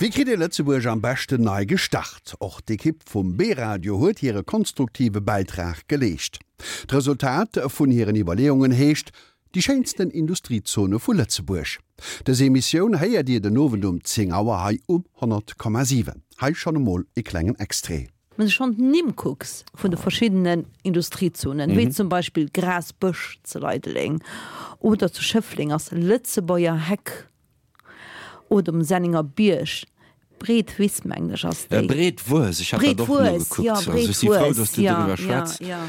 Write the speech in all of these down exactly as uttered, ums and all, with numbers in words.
Wéi kritt ee Lëtzebuerg am beschten nei gestart? Och d'Ekipp vum B-Radio huet hire konstruktive Bäitrag geleescht. D'Resultat vun hiren Iwwerleeungen heescht Déi schéinsten Industriezone vu Lëtzebuerg. Dës Emissioun héiert Dir den Owend um zéng Auer hei um honnert Komma siwen. Hei schonn emol e klengen Extrait. Wann s de schonn d'Nimm kucks vun de verschiddenen Industriezonen, wéi zum Beispill Grasbësch zu Leideleng oder zu Schëffleng ass Lëtzebuerger Heck oder um Senninger Bierg, Breet Wiss mengen ech ass déi. Breet Wues, ech hat dat och Breet Wues, nogekuckt. jo, Also Breet ech si frou, Wues, dass du jo, doriwwer jo, schwätz. jo.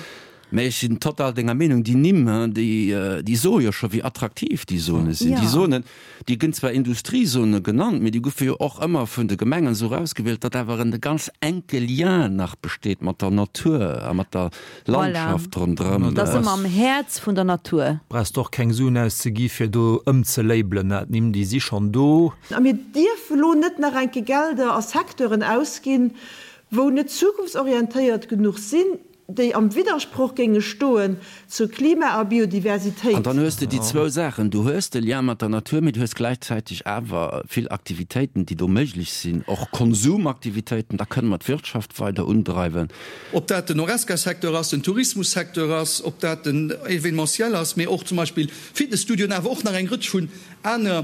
Mä ech sinn total denger Meenung, déi Nimm, déi, déi soe jo scho wéi attraktiv déi Zone sinn. Déi Ja. Zonen, déi gënn zwar Industriezone genannt, mee déi goufe jo och ëmmer vun de Gemengen esou erausgewielt, datt awer en ganz enke Lien nach besteet mat der Natur a mat der Voilà. Landschaft ronderëm. Dat ass ëmmer am Häerz vun der Natur. Brauchs de och keng Suen auszegi fir do ëmzelabelen, d'Nimm déi si schonn do. A mir dierfe lo net nach eng Kéier Gelder a Secteuren ausginn, wou net zukunftsorientéiert genuch sinn, déi am Widdersproch géinge stoen zu Klima a Biodiversitéit. An dann hues de déi zwou Saachen, du hues de Lien mat der Natur, mee du hues gläichzäiteg awer vill Aktivitéiten, déi do méiglech sinn, och Konsumaktivitéiten, da kënne mer d'Wirtschaft weider undreiwen. Ob dat den Horesca-Secteur ass, den Tourismus-Secteur ass, ob dat den Événementiel ass, mee och zum Beispill Fitnesstudioen, awer och nach eng Rëtsch vun aner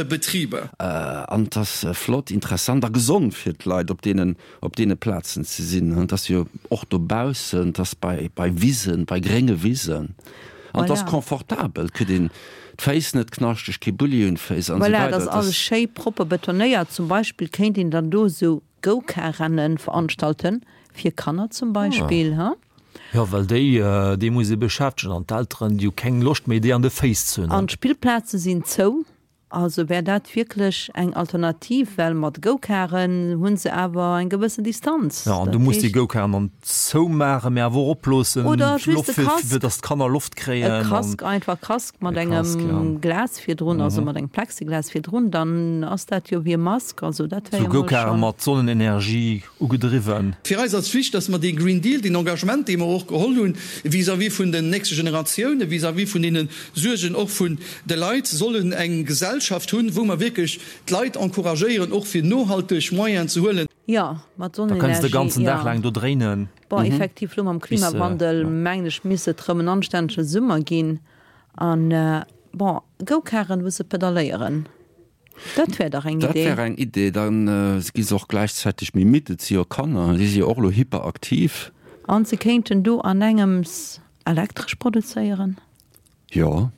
Betriber. An et ass flott, interessant a gesond fir d'Leit, op deenen, op deene Plazen ze sinn. Et ass jo och dobaussen, et ass bei, bei Wisen, bei grénge Wisen. An et ass Voilà. confortabel, et kritt een d'Féiss net knaschteg, kee Bulli un d'Féiss an esou Voilà, et weider. ass Et ass. alles schéi propper betonéiert. Zum Beispill kéint een dann do esou Go-Car-Rennen veranstalten, fir Kanner zum Beispill, ha? Jo, well déi, déi muss ee beschäftegen an d'Elteren, déi hu keng Loscht méi, déi an de Féiss ze hunn. An d'Spillplaze sinn zou. Also wär dat wierklech eng Alternativ, well mat Go-Caren hu se awer eng gewëssen Distanz. Jo, an du Dat muss déi heescht. Go-Caren dann zoumaachen, mee awer och oploossen, Oder just Loft, e fir, Casque. fir dass d'Kanner Loft E kréien an. Casque, einfach Casque mat E Casque, ja. engem Glas virdrun, also mat engem Plexiglas virdrun, dann ass dat jo wéi e Mask. Also dat wär Sou jo mol Go-Caren schonn. mat Sonnenenergie ugedriwwen. Fir eis ass wichtig, dass mer dee Green Deal, deen Engagement, dee mer och geholl hunn vis-à-vis vun den nächste Generatiounen, vis-à-vis vun deene Suergen och vun de Leit, sollen eng Gesellschaft hunn, wou mer wierklech d'Leit encouragéieren, och fir nohalteg Moyenen ze huelen. Jo, mat Da kënns de Sonnenenergie, ganzen Dag jo. laang do dréinen. Bon, effektiv, elo mam Bis, Klimawandel, jo. mengen ech, misst et erëm en anstännege Summer ginn. An, bon, Go-Caren, wou se pedalléieren. Dat wär dach eng Dat Idee. wär eng Idee. Da gi se och gläichzäiteg méi midd. Et si jo Kanner, déi si jo och elo hyperaktiv. An se kéinten do an engems Elektresch produzéieren. Jo,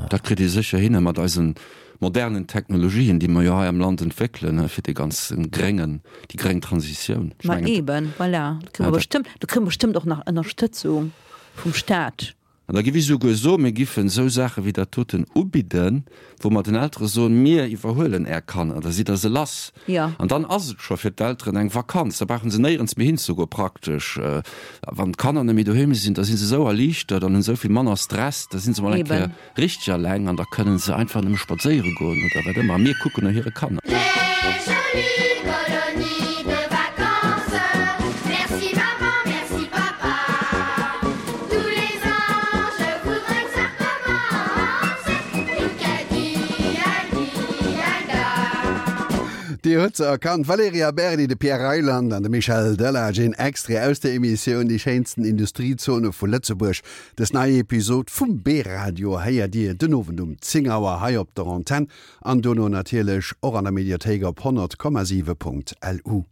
dat kritt ee sécher hin mat eise modernen Technologien, déi mer jo hei am Land entwéckelen, fir dee ganze gréngen, déi gréng Transitioun. Ech Ma mengen, eben, voilà. Do kréie mer bestëmmt, do kréie mer bestëmmt och nach Ënnerstëtzung vum Staat. An da giff ech esouguer soen, mir giffen esou Saache wéi dat doten ubidden, wou mer den Eltere soen, mir iwwerhuelen Är Kanner, da sidd Der se lass. Jo. An dann ass et scho fir d'Elteren eng Vakanz, da brauche se néierens méi hinzegoen praktesch. Wann d'Kanner net méi doheem sinn, da si se esou erliichtert an hunn esou vill manner Stress, da si se mol eng Kéier Eben. richteg eleng an da kënnen se einfach nëmme spadséiere goen oder wat ëmmer a mir kucken no hire Kanner. Les jolies colonies de vacances Merci maman, merci papa Tous les ans, je voudrais que ça recommence Nicadi, adi, ada Dir hutt se erkannt, d'Valerija Berdi, de Pierre Reyland an de Michel Delage. Een Extrait aus der Emissioun Déi schéinsten Industriezone vu Lëtzebuerg. Dës nei Episod vum B-Radio héiert Dir den Owend um zéng Auer hei op der Antenn an dono natierlech och an der Mediathéik op honnert Komma siwe Punkt L U.